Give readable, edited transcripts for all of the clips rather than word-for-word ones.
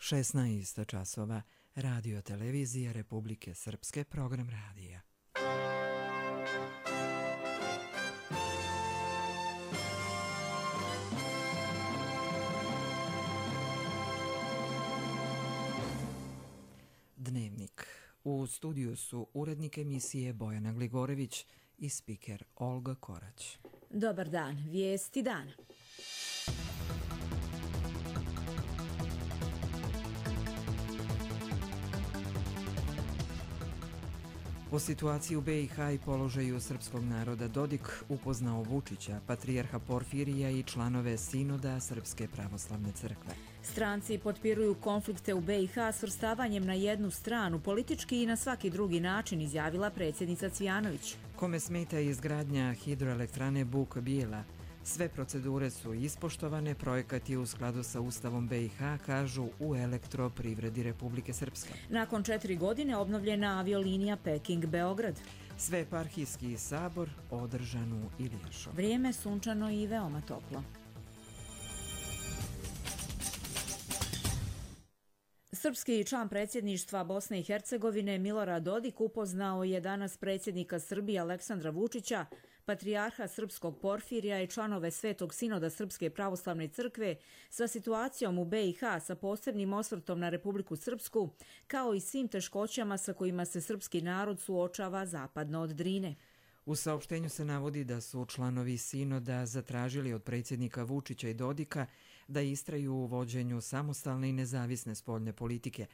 16 časova, Radio Televizija Republike Srpske, program radija. Dnevnik. U studiju su urednik emisije Bojana Gligorević i spiker Olga Korać. Dobar dan, vijesti dana. O situaciji u BiH i položaju srpskog naroda Dodik upoznao Vučića, patrijarha Porfirija i članove Sinoda Srpske pravoslavne crkve. Stranci potpiruju konflikte u BiH svrstavanjem na jednu stranu, politički i na svaki drugi način, izjavila predsjednica Cvijanović. Kome smeta izgradnja hidroelektrane Buk Bijela? Sve procedure su ispoštovane, projekat je u skladu sa Ustavom BiH, kažu u Elektroprivredi Republike Srpske. Nakon 4 godine obnovljena aviolinija Peking-Beograd. Sveeparhijski sabor održan u Ilijašu. Vrijeme sunčano i veoma toplo. Srpski član predsjedništva Bosne i Hercegovine Milorad Dodik upoznao je danas predsjednika Srbije Aleksandra Vučića, patrijarha srpskog Porfirija i članove Svetog Sinoda Srpske pravoslavne crkve sa situacijom u BiH sa posebnim osvrtom na Republiku Srpsku, kao i svim teškoćama sa kojima se srpski narod suočava zapadno od Drine. U saopštenju se navodi da su članovi Sinoda zatražili od predsjednika Vučića i Dodika da istraju u vođenju samostalne i nezavisne spoljne politike.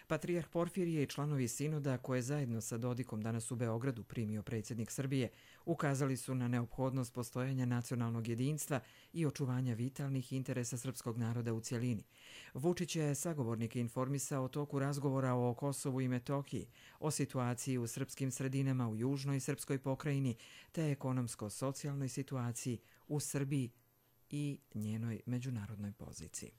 Patrijarh Porfirije i članovi Sinoda, koje zajedno sa Dodikom danas u Beogradu primio predsjednik Srbije, ukazali su na neophodnost postojanja nacionalnog jedinstva i očuvanja vitalnih interesa srpskog naroda u cjelini. Vučić je sagovornike informisao o toku razgovora o Kosovu i Metohiji, o situaciji u srpskim sredinama u južnoj srpskoj pokrajini te ekonomsko-socijalnoj situaciji u Srbiji i njenoj međunarodnoj poziciji.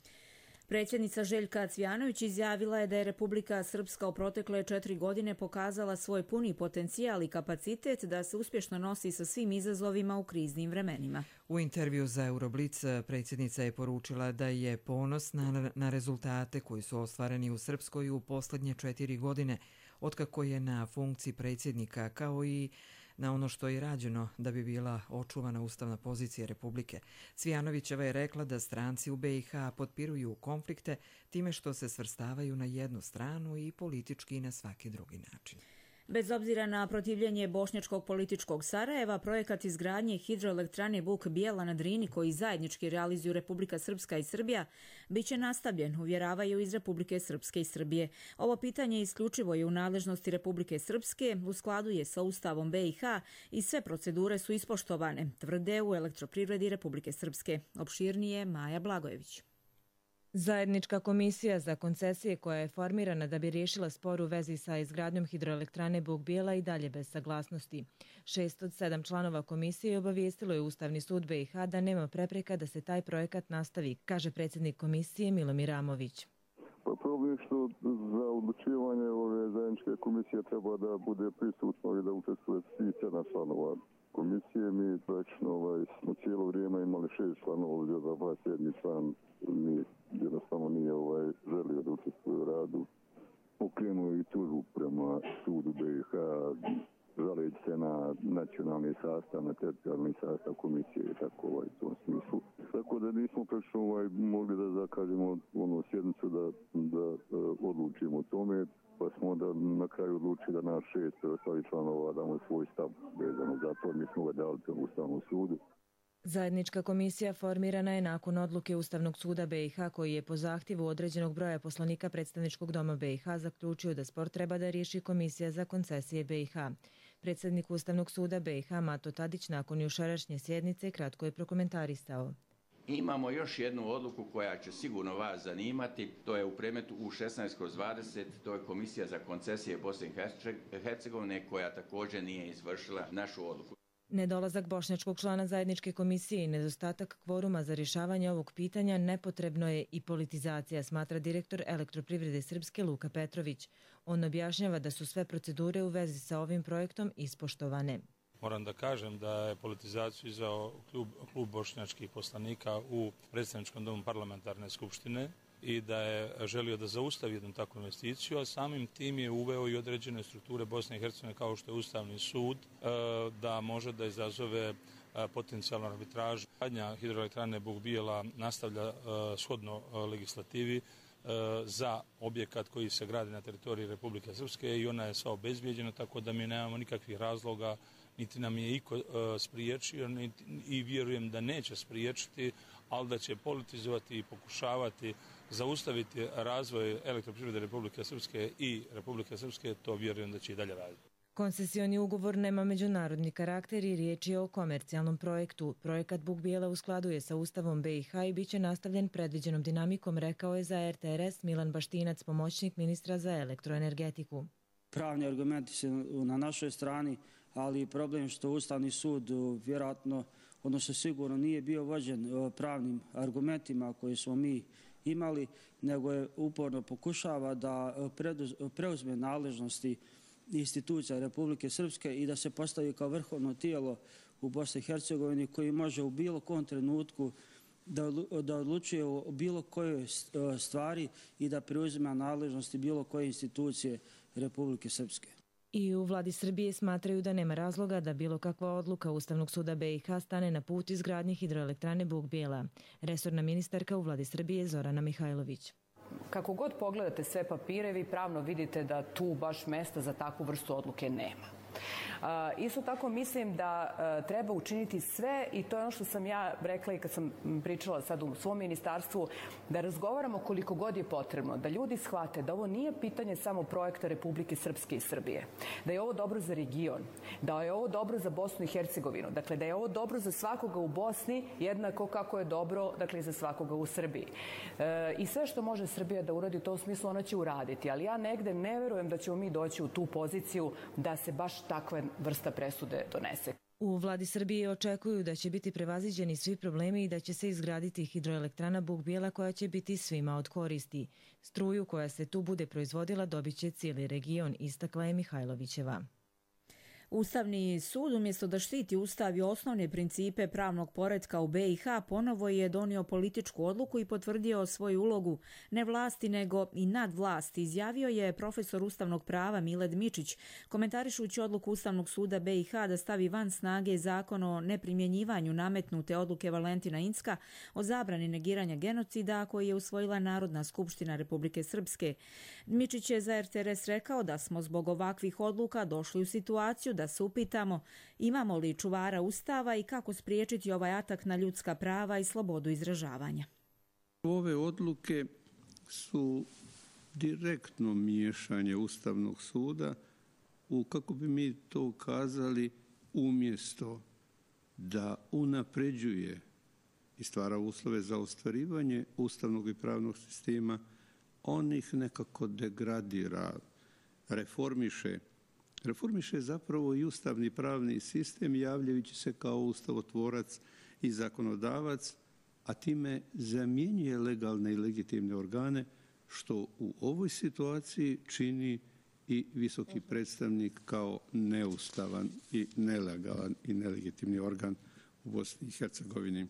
Predsjednica Željka Cvijanović izjavila je da je Republika Srpska u protekle 4 godine pokazala svoj puni potencijal i kapacitet da se uspješno nosi sa svim izazovima u kriznim vremenima. U intervju za Euroblic predsjednica je poručila da je ponosna na rezultate koji su ostvareni u Srpskoj u posljednje 4 godine, otkako je na funkciji predsjednika, kao i na ono što je rađeno da bi bila očuvana ustavna pozicija Republike. Cvijanovićeva je rekla da stranci u BiH potpiruju konflikte time što se svrstavaju na jednu stranu i politički i na svaki drugi način. Bez obzira na protivljenje bošnjačkog političkog Sarajeva, projekat izgradnje hidroelektrane Buk Bijela na Drini, koji zajednički realizuju Republika Srpska i Srbija, biće nastavljen, uvjeravaju iz Republike Srpske i Srbije. Ovo pitanje isključivo je u nadležnosti Republike Srpske, u skladu je sa Ustavom BiH i sve procedure su ispoštovane, tvrde u Elektroprivredi Republike Srpske. Opširnije Maja Blagojević. Zajednička komisija za koncesije koja je formirana da bi riješila spor u vezi sa izgradnjom hidroelektrane Buk Bijela i dalje bez saglasnosti. 6 od 7 članova komisije obavijestilo je Ustavni sud BiH da nema prepreka da se taj projekat nastavi, kaže predsjednik komisije Milomir Amović. Problem je što za odlučivanje ove zajedničke komisije treba da bude prisutno i da učestvuje svi 7 članova komisije. Mi praktično smo cijelo vrijeme imali 6 članova, ovdje za 7 član mi jednostavno nije želio da učestvuje u radu. Pokrenuo i tužbu prema sudu BiH, žaleći se na nacionalni sastav, na teritorijalni sastav komisije i tako u tom smislu. Tako da nismo praktično mogli da zakažemo sjednicu da odlučimo o tome, pa smo onda na kraju odlučili da naš 6 ostali članova damo svoj stav vezano za to. Mi smo ga dali u Ustavnom sudu. Zajednička komisija formirana je nakon odluke Ustavnog suda BiH koji je po zahtjevu određenog broja poslanika Predstavničkog doma BiH zaključio da spor treba da riješi Komisija za koncesije BiH. Predsjednik Ustavnog suda BiH Mato Tadić nakon jučerašnje sjednice kratko je prokomentarisao. Imamo još jednu odluku koja će sigurno vas zanimati, to je u predmetu U16/20, to je Komisija za koncesije Bosne i Hercegovine koja također nije izvršila našu odluku. Nedolazak bošnjačkog člana zajedničke komisije i nedostatak kvoruma za rješavanje ovog pitanja nepotrebno je i politizacija, smatra direktor Elektroprivrede Srpske Luka Petrović. On objašnjava da su sve procedure u vezi sa ovim projektom ispoštovane. Moram da kažem da je politizaciju izveo klub bošnjačkih poslanika u Predstavničkom domu parlamentarne skupštine i da je želio da zaustavi jednu takvu investiciju, a samim tim je uveo i određene strukture Bosne i Hercegovine kao što je Ustavni sud, da može da izazove potencijalnu arbitražu. Gradnja hidroelektrane Buk Bijela nastavlja shodno legislativi za objekat koji se gradi na teritoriji Republike Srpske i ona je sva obezbijeđena, tako da mi nemamo nikakvih razloga, niti nam je iko spriječio i vjerujem da neće spriječiti, ali da će politizovati i pokušavati zaustaviti razvoj elektroprivrede Republike Srpske i Republike Srpske, to vjerujem da će i dalje raditi. Koncesioni ugovor nema međunarodni karakter i riječ je o komercijalnom projektu. Projekat Buk Bijela u skladu je sa Ustavom BiH i bit će nastavljen predviđenom dinamikom, rekao je za RTRS Milan Baštinac, pomoćnik ministra za elektroenergetiku. Pravni argumenti su na našoj strani, ali problem što Ustavni sud vjerojatno, odnosno sigurno nije bio vođen pravnim argumentima koje smo mi imali, nego je uporno pokušava da preuzme nadležnosti institucija Republike Srpske i da se postavi kao vrhovno tijelo u Bosni i Hercegovini koji može u bilo kom trenutku da odlučuje o bilo kojoj stvari i da preuzima nadležnosti bilo koje institucije Republike Srpske. I u vladi Srbije smatraju da nema razloga da bilo kakva odluka Ustavnog suda BiH stane na put izgradnje hidroelektrane Buk Bijela. Resorna ministarka u vladi Srbije Zorana Mihajlović. Kako god pogledate sve papire, vi pravno vidite da tu baš mesta za takvu vrstu odluke nema. Isto tako mislim da treba učiniti sve i to je ono što sam ja rekla i kad sam pričala sad u svom ministarstvu, da razgovaramo koliko god je potrebno, da ljudi shvate da ovo nije pitanje samo projekta Republike Srpske i Srbije, da je ovo dobro za region, da je ovo dobro za Bosnu i Hercegovinu, dakle da je ovo dobro za svakoga u Bosni jednako kako je dobro dakle, za svakoga u Srbiji. I sve što može Srbija da uradi u tom smislu ona će uraditi, ali ja negde ne verujem da ćemo mi doći u tu poziciju da se baš takva vrsta presude donese. U vladi Srbije očekuju da će biti prevaziđeni svi problemi i da će se izgraditi hidroelektrana Buk Bijela koja će biti svima od koristi. Struju koja se tu bude proizvodila dobit će cijeli region, istakla je Mihajlovićeva. Ustavni sud umjesto da štiti Ustav i osnovne principe pravnog poretka u BiH ponovo je donio političku odluku i potvrdio svoju ulogu ne vlasti nego i nadvlasti, izjavio je profesor ustavnog prava Miled Mičić, komentarišući odluku Ustavnog suda BiH da stavi van snage zakon o neprimjenjivanju nametnute odluke Valentina Incka o zabrani negiranja genocida koji je usvojila Narodna skupština Republike Srpske. Mičić je za RTRS rekao da smo zbog ovakvih odluka došli u situaciju da se upitamo imamo li čuvara Ustava i kako spriječiti ovaj atak na ljudska prava i slobodu izražavanja. Ove odluke su direktno miješanje Ustavnog suda u, kako bi mi to kazali, umjesto da unapređuje i stvara uslove za ostvarivanje ustavnog i pravnog sistema, on ih nekako degradira, reformiše zapravo i ustavni pravni sistem javljajući se kao ustavotvorac i zakonodavac, a time zamjenjuje legalne i legitimne organe, što u ovoj situaciji čini i visoki predstavnik kao neustavan i nelegalan i nelegitimni organ u Bosni i Hercegovini.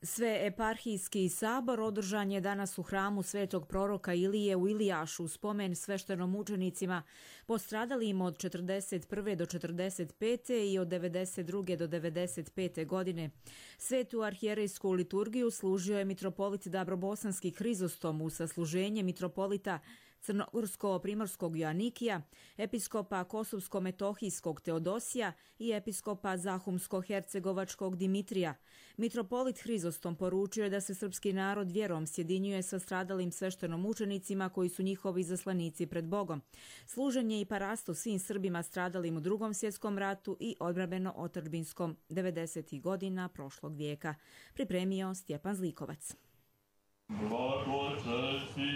Sveeparhijski sabor održan je danas u hramu Svetog proroka Ilije u Ilijašu u spomen sveštenomučenicima postradalim od 41. do 45. i od 92. do 95. godine. Svetu arhijerejsku liturgiju služio je mitropolit Dabrobosanski Hrizostom u sasluženje mitropolita Crnogorsko-primorskog Joanikija, episkopa Kosovsko-metohijskog Teodosija i episkopa Zahumsko-hercegovačkog Dimitrija. Mitropolit Hrizostom poručio je da se srpski narod vjerom sjedinjuje sa stradalim sveštenomučenicima koji su njihovi zaslanici pred Bogom. Služenje i parasto svim Srbima stradalim u Drugom svjetskom ratu i odbrambeno-otadžbinskom 90. godina prošlog vijeka. Pripremio Stjepan Zlikovac. Blagočestili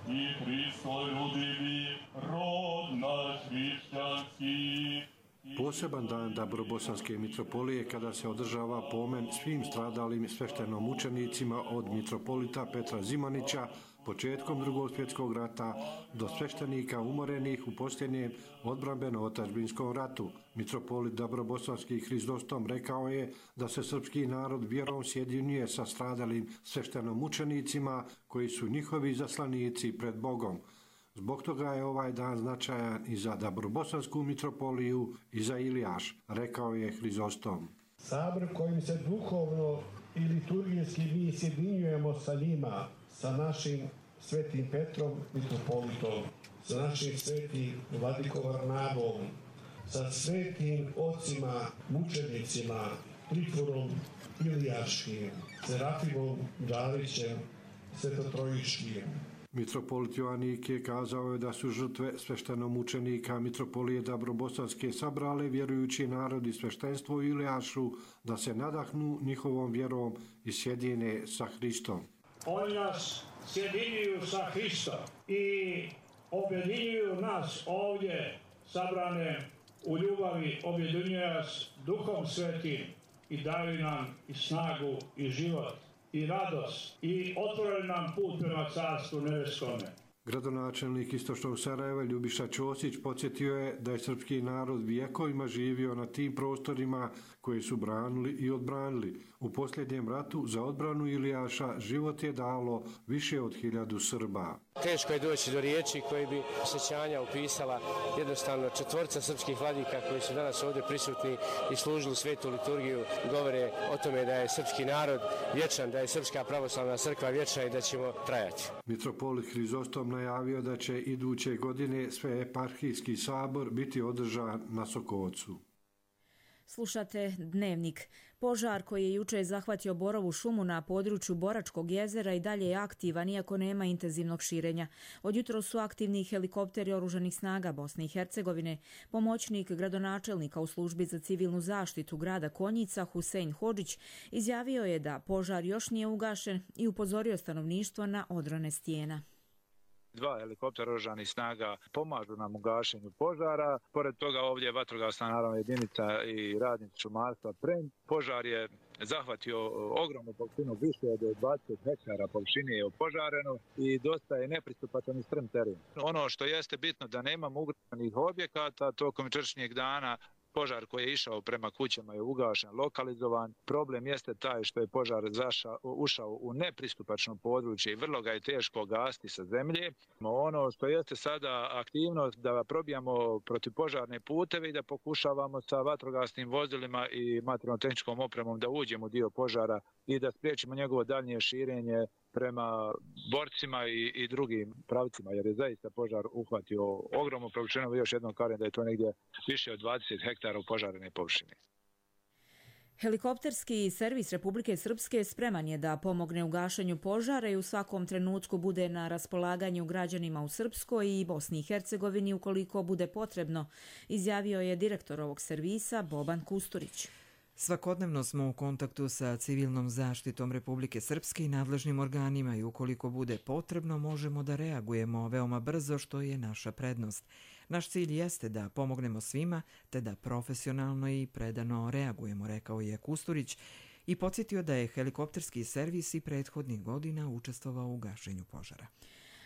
i Hristo ljubili rod naš hrišćanski. Poseban dan Dabrobosanske mitropolije kada se održava pomen svim stradalim sveštenomučenicima od mitropolita Petra Zimanića početkom Drugog svjetskog rata do sveštenika umorenih u posljednjem odbrambeno-otadžbinskom ratu. Mitropolit Dabrobosanski Hrizostom rekao je da se srpski narod vjerom sjedinjuje sa stradalim sveštenomučenicima koji su njihovi zaslanici pred Bogom. Zbog toga je ovaj dan značajan i za Dabrobosansku mitropoliju i za Ilijaš, rekao je Hrizostom. Sabor kojim se duhovno i liturgijski mi sjedinjujemo sa njima, sa našim svetim Petrom mitropolitom, sa našim svetim vladikom Varnabom, sa svetim ocima mučenicima Trifonom Ilijaškim, Serafimom Đalićem, Svetotrojiškim. Mitropolit Joanik je kazao da su žrtve sveštenomučenika mitropolije Dabrobosanske sabrale vjerujući narod i sveštenstvo u Ilijašu da se nadahnu njihovom vjerom i sjedine sa Hristom. Oni nas sjedinjuju sa Hristom i objedinjuju nas ovdje sabrane u ljubavi, objedinjuju nas Duhom Svetim i daju nam i snagu i život i radost i otvorili nam put prema Carstvu nebeskome. Gradonačelnik Istočnog Sarajeva Ljubiša Ćosić podsjetio je da je srpski narod vijekovima živio na tim prostorima koje su branili i odbranili. U posljednjem ratu za odbranu Ilijaša život je dalo više od 1000 Srba. Teško je doći do riječi koji bi sjećanja upisala jednostavno četvorca srpskih vladika koji su danas ovdje prisutni i služili svetu liturgiju. Govore o tome da je srpski narod vječan, da je Srpska pravoslavna crkva vječna i da ćemo trajati. Mitropolit Hrizostom najavio da će iduće godine Sveeparhijski sabor biti održan na Sokocu. Slušate Dnevnik. Požar koji je juče zahvatio borovu šumu na području Boračkog jezera i dalje je aktivan iako nema intenzivnog širenja. Od jutros su aktivni helikopteri oružanih snaga Bosne i Hercegovine. Pomoćnik gradonačelnika u službi za civilnu zaštitu grada Konjica Husein Hodžić izjavio je da požar još nije ugašen i upozorio stanovništvo na odrone stijena. 2 helikoptera oružanih snaga pomažu nam u gašenju požara. Pored toga ovdje je vatrogasna naravno jedinica i radnici šumarstva Pren. Požar je zahvatio ogromnu površinu, više od 20 hektara površine je opožareno i dosta je nepristupačan i strm teren. Ono što jeste bitno da nemamo ugroženih objekata, tokom jučerašnjeg dana požar koji je išao prema kućama je ugašen, lokalizovan. Problem jeste taj što je požar ušao u nepristupačno područje i vrlo ga je teško gasiti sa zemlje. Ono što jeste sada aktivnost da probijamo protivpožarne puteve i da pokušavamo sa vatrogasnim vozilima i materijalno-tehničkom opremom da uđemo u dio požara i da spriječimo njegovo daljnje širenje prema borcima i drugim pravcima, jer je zaista požar uhvatio ogromnu površinu. Još jednom kažem da je to negdje više od 20 hektara upožarene površine. Helikopterski servis Republike Srpske spreman je da pomogne u gašenju požara i u svakom trenutku bude na raspolaganju građanima u Srpskoj i Bosni i Hercegovini ukoliko bude potrebno, izjavio je direktor ovog servisa Boban Kusturić. Svakodnevno smo u kontaktu sa civilnom zaštitom Republike Srpske i nadležnim organima i ukoliko bude potrebno možemo da reagujemo veoma brzo, što je naša prednost. Naš cilj jeste da pomognemo svima te da profesionalno i predano reagujemo, rekao je Kusturić i podsjetio da je helikopterski servis i prethodnih godina učestvovao u gašenju požara.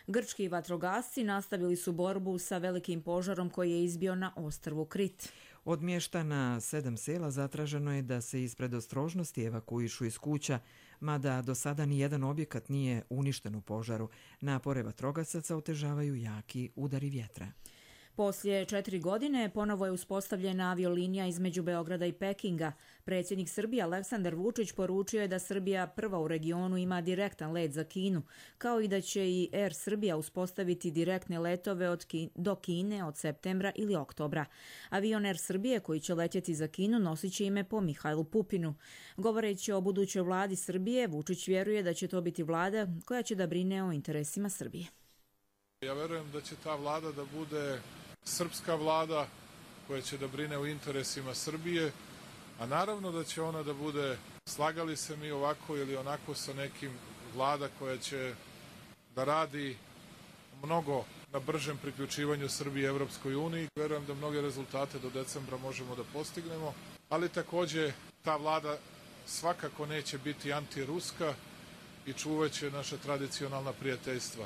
Grčki vatrogasci nastavili su borbu sa velikim požarom koji je izbio na ostrvu Krit. Od mještana 7 sela zatraženo je da se iz predostrožnosti evakuišu iz kuća, mada do sada nijedan objekat nije uništen u požaru. Napore vatrogasaca otežavaju jaki udari vjetra. Poslije 4 godine ponovo je uspostavljena aviolinija između Beograda i Pekinga. Predsjednik Srbije Aleksandar Vučić poručio je da Srbija prva u regionu ima direktan let za Kinu, kao i da će i Air Srbija uspostaviti direktne letove do Kine od septembra ili oktobra. Avion Air Srbije koji će letjeti za Kinu nosit će ime po Mihajlu Pupinu. Govoreći o budućoj vladi Srbije, Vučić vjeruje da će to biti vlada koja će da brine o interesima Srbije. Ja verujem da će ta vlada da bude srpska vlada koja će da brine o interesima Srbije, a naravno da će ona da bude, slagali se mi ovako ili onako sa nekim, vlada koja će da radi mnogo na bržem priključivanju Srbije Evropskoj uniji. Verujem da mnoge rezultate do decembra možemo da postignemo, ali također ta vlada svakako neće biti antiruska i čuvat će naša tradicionalna prijateljstva.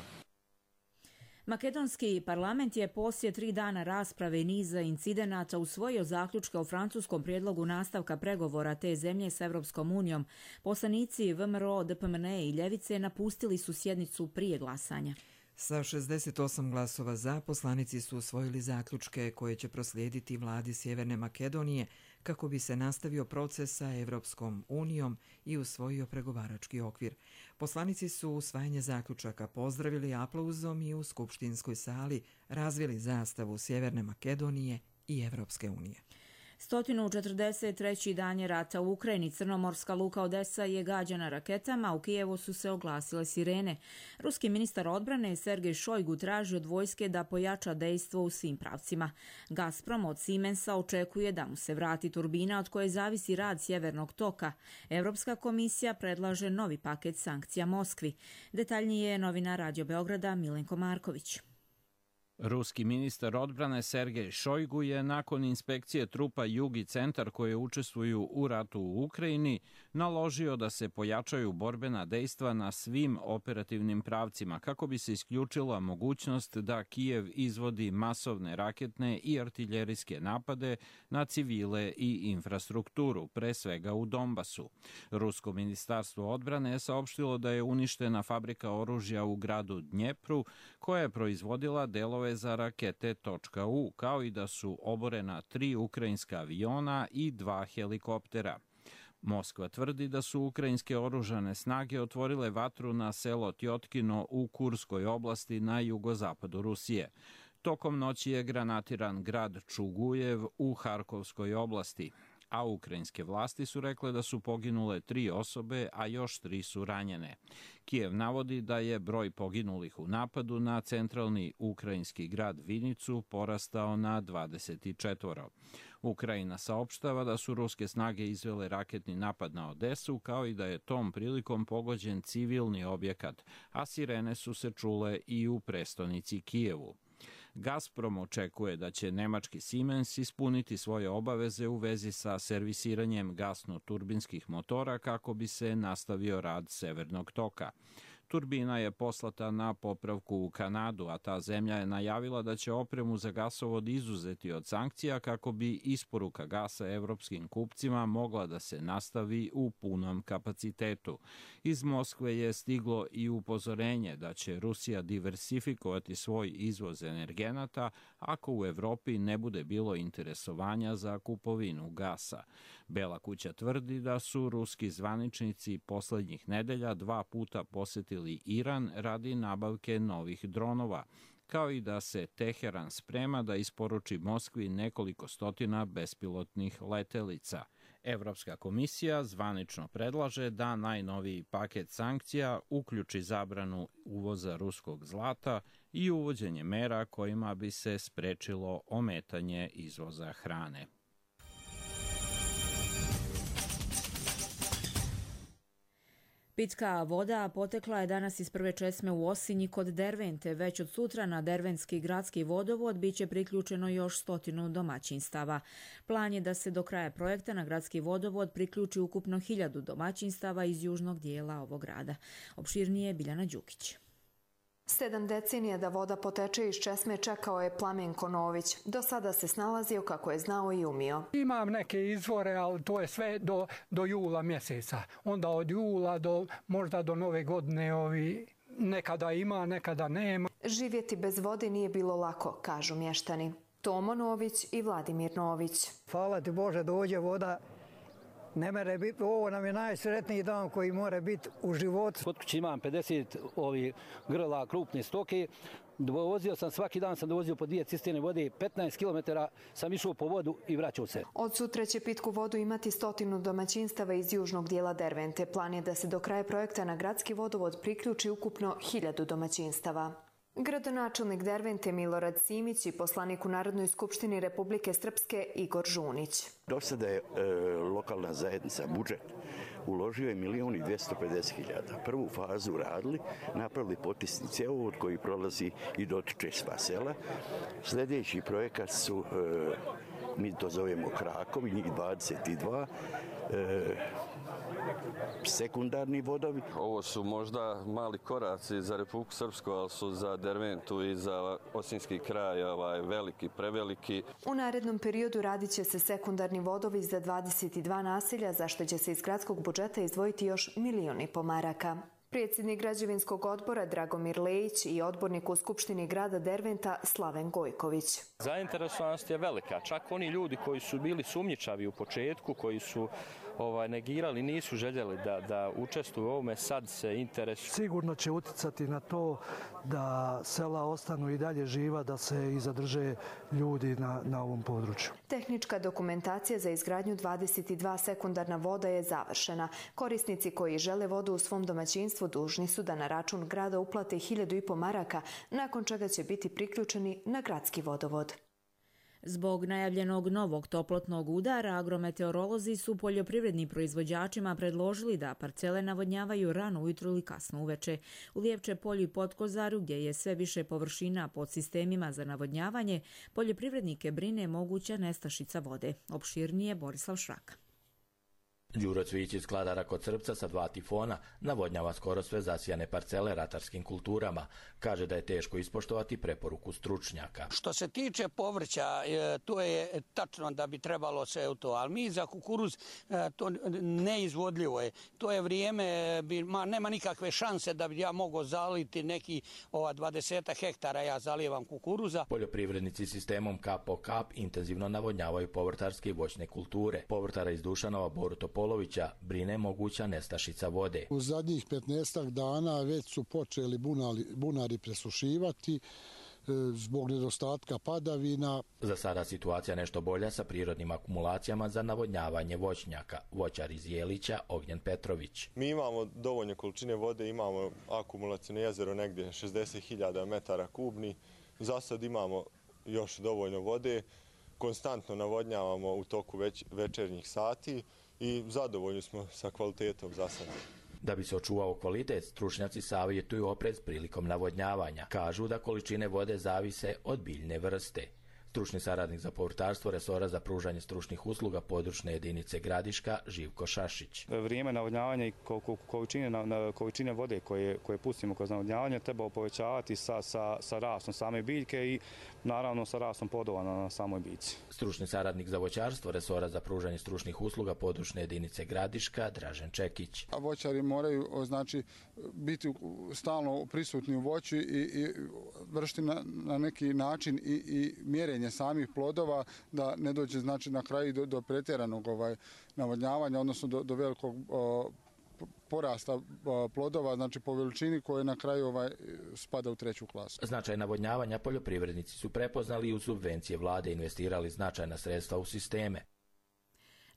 Makedonski parlament je poslije 3 dana rasprave i niza incidenata usvojio zaključke o francuskom prijedlogu nastavka pregovora te zemlje s Europskom unijom. Poslanici VMRO, DPMN i Ljevice napustili su sjednicu prije glasanja. Sa 68 glasova za, poslanici su usvojili zaključke koje će proslijediti vladi Sjeverne Makedonije kako bi se nastavio proces sa Evropskom unijom i usvojio pregovarački okvir. Poslanici su usvajanje zaključaka pozdravili aplauzom i u skupštinskoj sali razvili zastavu Sjeverne Makedonije i Evropske unije. 143. dan je rata u Ukrajini. Crnomorska luka Odesa je gađana raketama, u Kijevu su se oglasile sirene. Ruski ministar odbrane Sergej Šojgu traži od vojske da pojača dejstvo u svim pravcima. Gazprom od Siemensa očekuje da mu se vrati turbina od koje zavisi rad Sjevernog toka. Europska komisija predlaže novi paket sankcija Moskvi. Detaljnije je novinar Radio Beograda Milenko Marković. Ruski ministar odbrane Sergej Šojgu je nakon inspekcije trupa Jug i Centar koje učestvuju u ratu u Ukrajini naložio da se pojačaju borbena dejstva na svim operativnim pravcima kako bi se isključila mogućnost da Kijev izvodi masovne raketne i artiljerijske napade na civile i infrastrukturu, pre svega u Donbasu. Rusko ministarstvo odbrane je saopštilo da je uništena fabrika oružja u gradu Dnjepru koja je proizvodila delove za rakete .U, kao i da su oborena 3 ukrajinska aviona i 2 helikoptera. Moskva tvrdi da su ukrajinske oružane snage otvorile vatru na selo Tjotkino u Kurskoj oblasti na jugozapadu Rusije. Tokom noći je granatiran grad Čugujev u Harkovskoj oblasti, a ukrajinske vlasti su rekle da su poginule 3 osobe, a još 3 su ranjene. Kijev navodi da je broj poginulih u napadu na centralni ukrajinski grad Vinicu porastao na 24. Ukrajina saopštava da su ruske snage izvele raketni napad na Odesu, kao i da je tom prilikom pogođen civilni objekat, a sirene su se čule i u prestonici Kijevu. Gazprom očekuje da će nemački Siemens ispuniti svoje obaveze u vezi sa servisiranjem gasno-turbinskih motora kako bi se nastavio rad Severnog toka. Turbina je poslata na popravku u Kanadu, a ta zemlja je najavila da će opremu za gasovod izuzeti od sankcija kako bi isporuka gasa evropskim kupcima mogla da se nastavi u punom kapacitetu. Iz Moskve je stiglo i upozorenje da će Rusija diversifikovati svoj izvoz energenata ako u Evropi ne bude bilo interesovanja za kupovinu gasa. Bela kuća tvrdi da su ruski zvaničnici poslednjih nedelja 2 puta posetili Iran radi nabavke novih dronova, kao i da se Teheran sprema da isporuči Moskvi nekoliko stotina bespilotnih letelica. Evropska komisija zvanično predlaže da najnoviji paket sankcija uključi zabranu uvoza ruskog zlata i uvođenje mera kojima bi se sprečilo ometanje izvoza hrane. Pitka voda potekla je danas iz prve česme u Osinji kod Dervente. Već od sutra na Dervenski gradski vodovod biće priključeno još 100 domaćinstava. Plan je da se do kraja projekta na gradski vodovod priključi ukupno 1000 domaćinstava iz južnog dijela ovog grada. Opširnije Biljana Đukić. 7 decenija da voda poteče iz česme čekao je Plamenko Nović. Do sada se snalazio kako je znao i umio. Imam neke izvore, ali to je sve do jula mjeseca. Onda od jula možda do nove godine nekada ima, nekada nema. Živjeti bez vode nije bilo lako, kažu mještani. Tomo Nović i Vladimir Nović. Hvala ti Bože, dođe voda. Ne mere biti, ovo nam je najsretniji dan koji mora biti u životu. Kod kuće imam 50 grla krupne stoke. Dovozio sam, svaki dan sam dovozio po 2 cisterne vode, 15 km sam išao po vodu i vraćao se. Od sutra će pitku vodu imati 100 domaćinstava iz južnog dijela Dervente. Plan je da se do kraja projekta na gradski vodovod priključi ukupno 1000 domaćinstava. Gradonačelnik Dervente Milorad Simić i poslanik u Narodnoj skupštini Republike Srpske Igor Žunić. Do sada je lokalna zajednica budžet uložio je 1.250.000. Prvu fazu radili, napravili potisni cjevovod koji prolazi i dotiče sva sela. Sljedeći projekat su, mi to zovemo krakovi, njih 22, sekundarni vodovi. Ovo su možda mali koraci za Republiku Srpsku, ali su za Derventu i za Osinski kraj veliki, preveliki. U narednom periodu radit će se sekundarni vodovi za 22 naselja, za što će se iz gradskog budžeta izdvojiti još 1,5 miliona maraka. Predsjednik građevinskog odbora Dragomir Lejić i odbornik u Skupštini grada Derventa Slaven Gojković. Zainteresovanost je velika. Čak oni ljudi koji su bili sumnjičavi u početku, koji su negirali, nisu željeli da učestvuju u ovome, sad se interesuju. Sigurno će uticati na to da sela ostanu i dalje živa, da se i zadrže ljudi na ovom području. Tehnička dokumentacija za izgradnju 22 sekundarna voda je završena. Korisnici koji žele vodu u svom domaćinstvu dužni su da na račun grada uplate 1.500 maraka, nakon čega će biti priključeni na gradski vodovod. Zbog najavljenog novog toplotnog udara, agrometeorolozi su poljoprivrednim proizvođačima predložili da parcele navodnjavaju rano ujutru ili kasno uveče. U Lijevče polju i Potkozaru, gdje je sve više površina pod sistemima za navodnjavanje, poljoprivrednike brine moguća nestašica vode. Opširnije Borislav Šraka. Đuro Cvijić iz Kladara kod Srpca sa 2 tifona navodnjava skoro sve zasijane parcele ratarskim kulturama. Kaže da je teško ispoštovati preporuku stručnjaka. Što se tiče povrća, to je tačno da bi trebalo sve u to, ali mi za kukuruz to neizvodljivo je. To je vrijeme, nema nikakve šanse da bi ja mogao zaliti neki 20 hektara, ja zalijevam kukuruza. Poljoprivrednici sistemom kap po kap intenzivno navodnjavaju povrtarske i voćne kulture. Povrtara iz Dušanova Boru Topolovića brine moguća nestašica vode. U zadnjih 15 dana već su počeli bunari presušivati zbog nedostatka padavina. Za sada situacija nešto bolja sa prirodnim akumulacijama za navodnjavanje voćnjaka. Voćar iz Jelića Ognjen Petrović. Mi imamo dovoljne količine vode, imamo akumulacijno jezero negdje 60.000 metara kubni. Za sad imamo još dovoljno vode. Konstantno navodnjavamo u toku večernjih sati i zadovoljni smo sa kvalitetom za sad. Da bi se očuvao kvalitet, stručnjaci savjetuju oprez prilikom navodnjavanja. Kažu da količine vode zavise od biljne vrste. Stručni saradnik za povrtarstvo resora za pružanje stručnih usluga područne jedinice Gradiška Živko Šašić. Vrijeme navodnjavanja i količine vode koje pustimo kroz navodnjavanje treba povećavati sa rastom same biljke i naravno sa rastom plodova na samoj biljci. Stručni saradnik za voćarstvo resora za pružanje stručnih usluga područne jedinice Gradiška Dražen Čekić. Voćari moraju biti stalno prisutni u voću i vršiti na neki način i mjerenje samih plodova, da ne dođe na kraju do pretjeranog navodnjavanja, odnosno do velikog porasta plodova, po veličini koje na kraju spada u 3. klasu. Značaj navodnjavanja poljoprivrednici su prepoznali i u subvencije vlade investirali značajna sredstva u sisteme.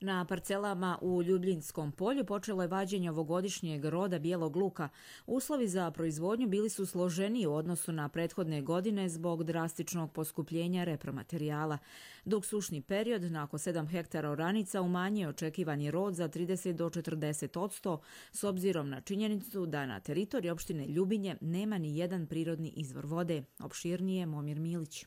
Na parcelama u Ljubljinskom polju počelo je vađenje ovogodišnjeg roda bijelog luka. Uslovi za proizvodnju bili su složeniji u odnosu na prethodne godine zbog drastičnog poskupljenja repromaterijala. Dok sušni period na oko 7 hektara oranica umanjio očekivani rod za 30 do 40%, s obzirom na činjenicu da na teritoriji opštine Ljubinje nema ni jedan prirodni izvor vode. Opširnije Momir Milić.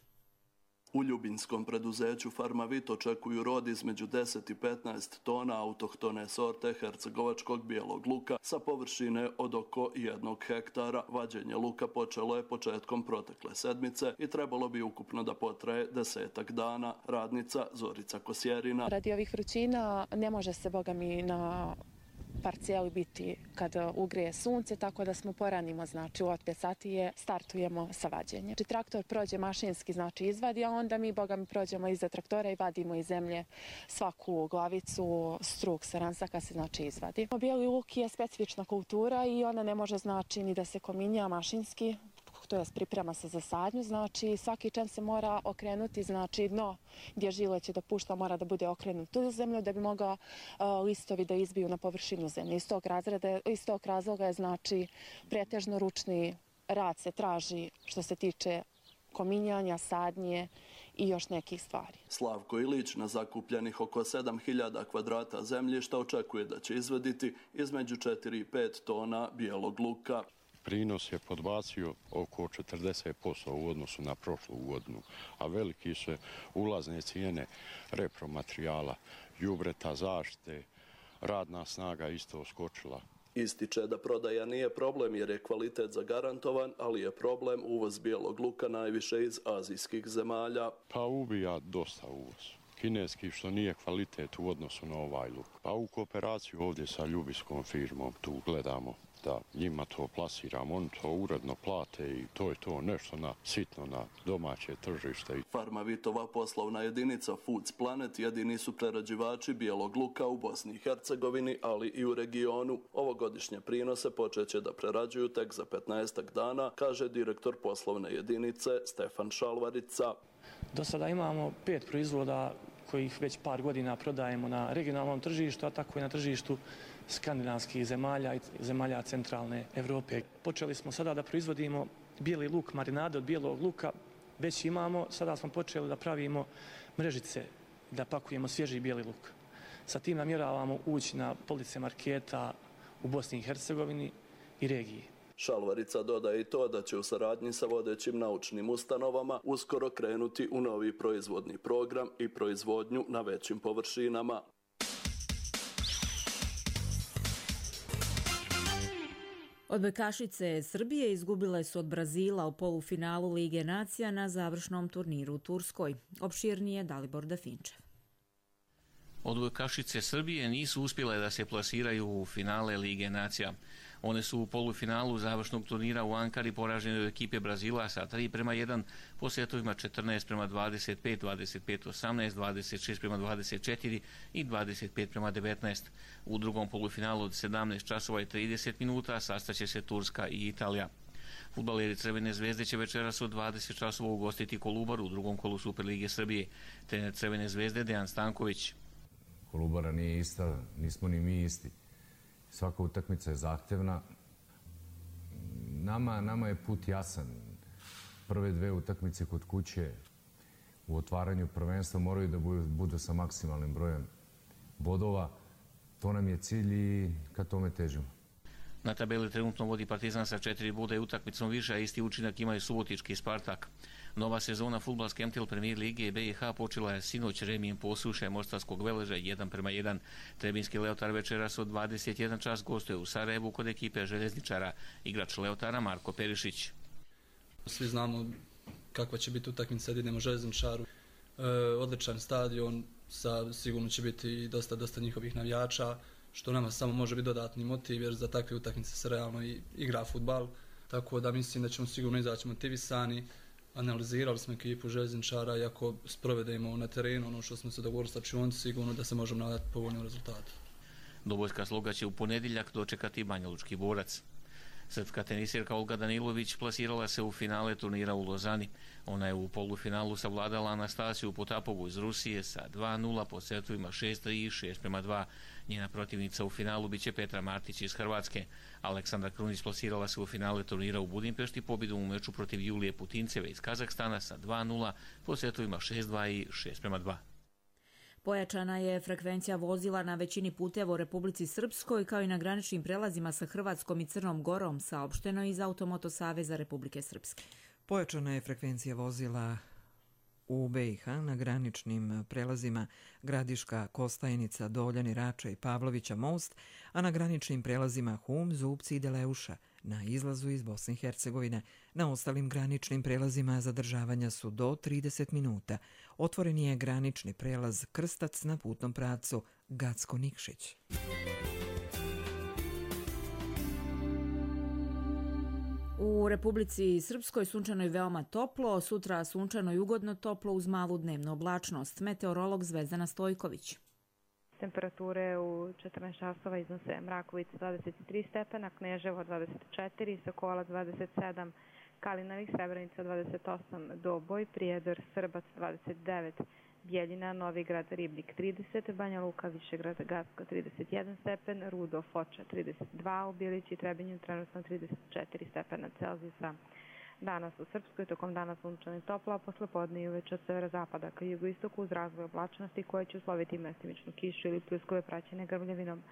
U ljubinskom preduzeću Farmavit očekuju rod između 10 i 15 tona autohtone sorte hercegovačkog bijelog luka sa površine od oko 1 hektara. Vađenje luka počelo je početkom protekle sedmice i trebalo bi ukupno da potraje 10 dana. Radnica Zorica Kosjerina. Radi ovih vrućina ne može se bogami na parcijeli biti kad ugrije sunce, tako da smo poranimo, od 5 sati startujemo sa vađenjem. Traktor prođe mašinski, izvadi, a onda mi, prođemo iza traktora i vadimo iz zemlje svaku glavicu, struk sa ransaka se izvadi. Bijeli luk je specifična kultura i ona ne može ni da se kominja mašinski, to jest priprema se za sadnju, svaki čem se mora okrenuti, dno gdje žile će da pušta mora da bude okrenuto u zemlju da bi mogao listovi da izbiju na površinu zemlje. Iz tog razloga je pretežno ručni rad se traži što se tiče kominjanja, sadnje i još nekih stvari. Slavko Ilić na zakupljenih oko 7.000 kvadrata zemljišta očekuje da će izvaditi između 4 i 5 tona bijelog luka. Prinos je podbacio oko 40% u odnosu na prošlu godinu, a veliki su ulazne cijene repromaterijala, đubreta, zaštite, radna snaga isto skočila. Ističe da prodaja nije problem jer je kvalitet zagarantovan, ali je problem uvoz bijelog luka najviše iz azijskih zemalja. Pa ubija dosta uvoz. Kineski što nije kvalitet u odnosu na ovaj luk. Pa u kooperaciju ovdje sa ljubiskom firmom tu gledamo da njima to plasiramo, oni to uredno plate i to je to nešto sitno na domaće tržište. Farmavitova poslovna jedinica Foods Planet jedini su prerađivači bijelog luka u Bosni i Hercegovini, ali i u regionu. Ovogodišnje prinose počeće da prerađuju tek za 15 dana, kaže direktor poslovne jedinice Stefan Šalvarica. Do sada imamo 5 proizvoda kojih već par godina prodajemo na regionalnom tržištu, a tako i na tržištu skandinavskih zemalja i zemalja centralne Evrope. Počeli smo sada da proizvodimo bijeli luk, marinade od bijelog luka, već imamo, sada smo počeli da pravimo mrežice, da pakujemo svježi bijeli luk. Sa tim namjeravamo ući na police marketa u Bosni i Hercegovini i regiji. Šalvarica dodaje i to da će u saradnji sa vodećim naučnim ustanovama uskoro krenuti u novi proizvodni program i proizvodnju na većim površinama. Odbojkašice Srbije izgubile su od Brazila u polufinalu Lige nacija na završnom turniru u Turskoj. Opširnije Dalibor Dafinčev. Odbojkašice Srbije nisu uspjele da se plasiraju u finale Lige nacija. One su u polufinalu završnog turnira u Ankari poražene od ekipe Brazila sa 3:1 po setovima 14:25, 25:18, 26:24 i 25:19. U drugom polufinalu od 17 časova i 30 minuta sastaće se Turska i Italija. Fudbaleri Crvene zvezde će večeras od 20 časova ugostiti Kolubaru u drugom kolu Superlige Srbije. Trener Crvene zvezde Dejan Stanković. Kolubara nije ista, nismo ni mi isti. Svaka utakmica je zahtevna. Nama je put jasan. Prve 2 utakmice kod kuće u otvaranju prvenstva moraju da budu sa maksimalnim brojem bodova. To nam je cilj i ka tome težimo. Na tabeli trenutno vodi Partizan sa 4 boda i utakmicom više, a isti učinak ima i Subotički Spartak. Nova sezona fudbalske MTL Premier Lige BiH počela je sinoć remijem Posuše Mostarskog Veleža 1:1. Trebinski Leotar večeras od 21 čas gostuje u Sarajevu kod ekipe Željezničara. Igrač Leotara Marko Perišić. Svi znamo kakva će biti utakmica kad idemo Željezničaru. Odličan stadion, sigurno će biti dosta njihovih navijača, što nama samo može biti dodatni motiv jer za takve utakmice se realno igra fudbal. Tako da mislim da ćemo sigurno izaći motivisani. Analizirali smo ekipu Željezničara i ako sprovedemo na terenu ono što smo se dogovorili sa čionci, sigurno da se možemo nadati povoljnim rezultatu. Dobojska Sloga će u ponedjeljak dočekati Banjalučki Borac. Srpska tenisirka Olga Danilović plasirala se u finale turnira u Lozani. Ona je u polufinalu savladala Anastasiju Potapovu iz Rusije sa 2:0 po setovima 6:3 i 6:2. Njena protivnica u finalu biće Petra Martić iz Hrvatske. Aleksandra Krunić plasirala se u finale turnira u Budimpešti pobjedom u meču protiv Julije Putinceve iz Kazahstana sa 2:0 po setovima 6:2 i 6:2. Pojačana je frekvencija vozila na većini puteva u Republici Srpskoj kao i na graničnim prelazima sa Hrvatskom i Crnom Gorom, saopšteno iz Automoto Saveza Republike Srpske. Pojačana je frekvencija vozila u BiH na graničnim prelazima Gradiška, Kostajnica, Doljani, Rača i Pavlovića most, a na graničnim prelazima Hum, Zubci i Deleuša na izlazu iz Bosne i Hercegovine. Na ostalim graničnim prelazima zadržavanja su do 30 minuta. Otvoren je granični prelaz Krstac na putnom pravcu Gacko-Nikšić. U Republici Srpskoj sunčano je veoma toplo, sutra sunčano i ugodno toplo uz malu dnevnu oblačnost. Meteorolog Zvezdana Stojković. Temperature u 14 časova iznose Mrakovica 23 stepena, Kneževo 24, Sokolac 27, Kalinari, Srebrenica 28, Doboj, Prijedor, Srbac 29, Bjeljina, Novigrad, Ribnik 30, Banja Luka, Višegrad, Gacko 31 stepen, Rudo, Foča 32, u Bilići i Trebinju trenutno 34 stepena Celzijusa. Danas u Srpskoj tokom dana sunčano i toplo, a posle podne i uveče od severozapada ka jugoistoku uz razvoj oblačnosti koje će usloviti mestimičnu kišu ili pljuskove praćene grmljavinom.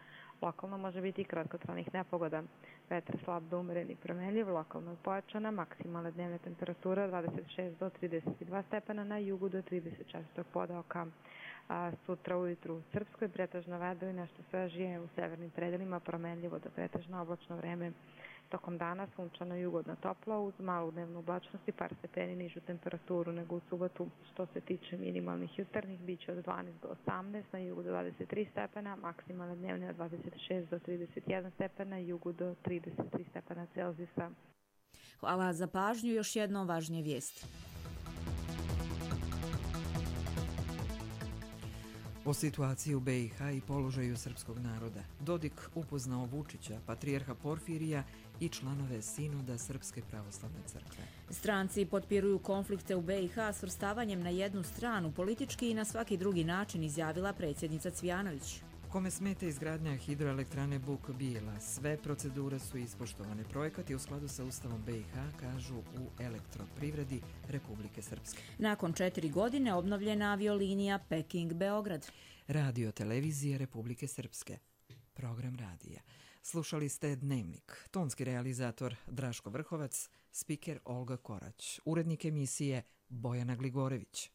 Lokalno može biti i kratkotrajnih nepogoda. Vetar slab do umeren i promenljiv, lokalno pojačana, maksimalna dnevna temperatura 26 do 32 stepena, na jugu do 34 podaoka. sutra ujutru u Srpskoj pretežno vedro i nešto svežije, u severnim predelima promenljivo do pretežno oblačno vreme. Tokom dana sunčano i ugodno toplo uz malu dnevnu oblačnost i par stepeni nižu temperaturu nego u subotu. Što se tiče minimalnih jutarnjih, bit će od 12 do 18, na jugu do 23 stepena, maksimalne dnevne od 26 do 31 stepena, jugu do 33 stepena Celzijusa. Hvala za pažnju. Još jedno važnije vijesti. O situaciji u BiH i položaju srpskog naroda. Dodik upoznao Vučića, patrijarha Porfirija i članove Sinoda Srpske pravoslavne crkve. Stranci potpiruju konflikte u BiH svrstavanjem na jednu stranu, politički i na svaki drugi način, izjavila predsjednica Cvijanović. Kome smeta izgradnja hidroelektrane Buk Bijela, sve procedure su ispoštovane. Projekat je u skladu sa Ustavom BiH, kažu u Elektroprivredi Republike Srpske. Nakon 4 godine obnovljena aviolinija Peking-Beograd. Radio televizije Republike Srpske. Program radija. Slušali ste Dnevnik. Tonski realizator Draško Vrhovac, spiker Olga Korać, urednik emisije Bojana Gligorević.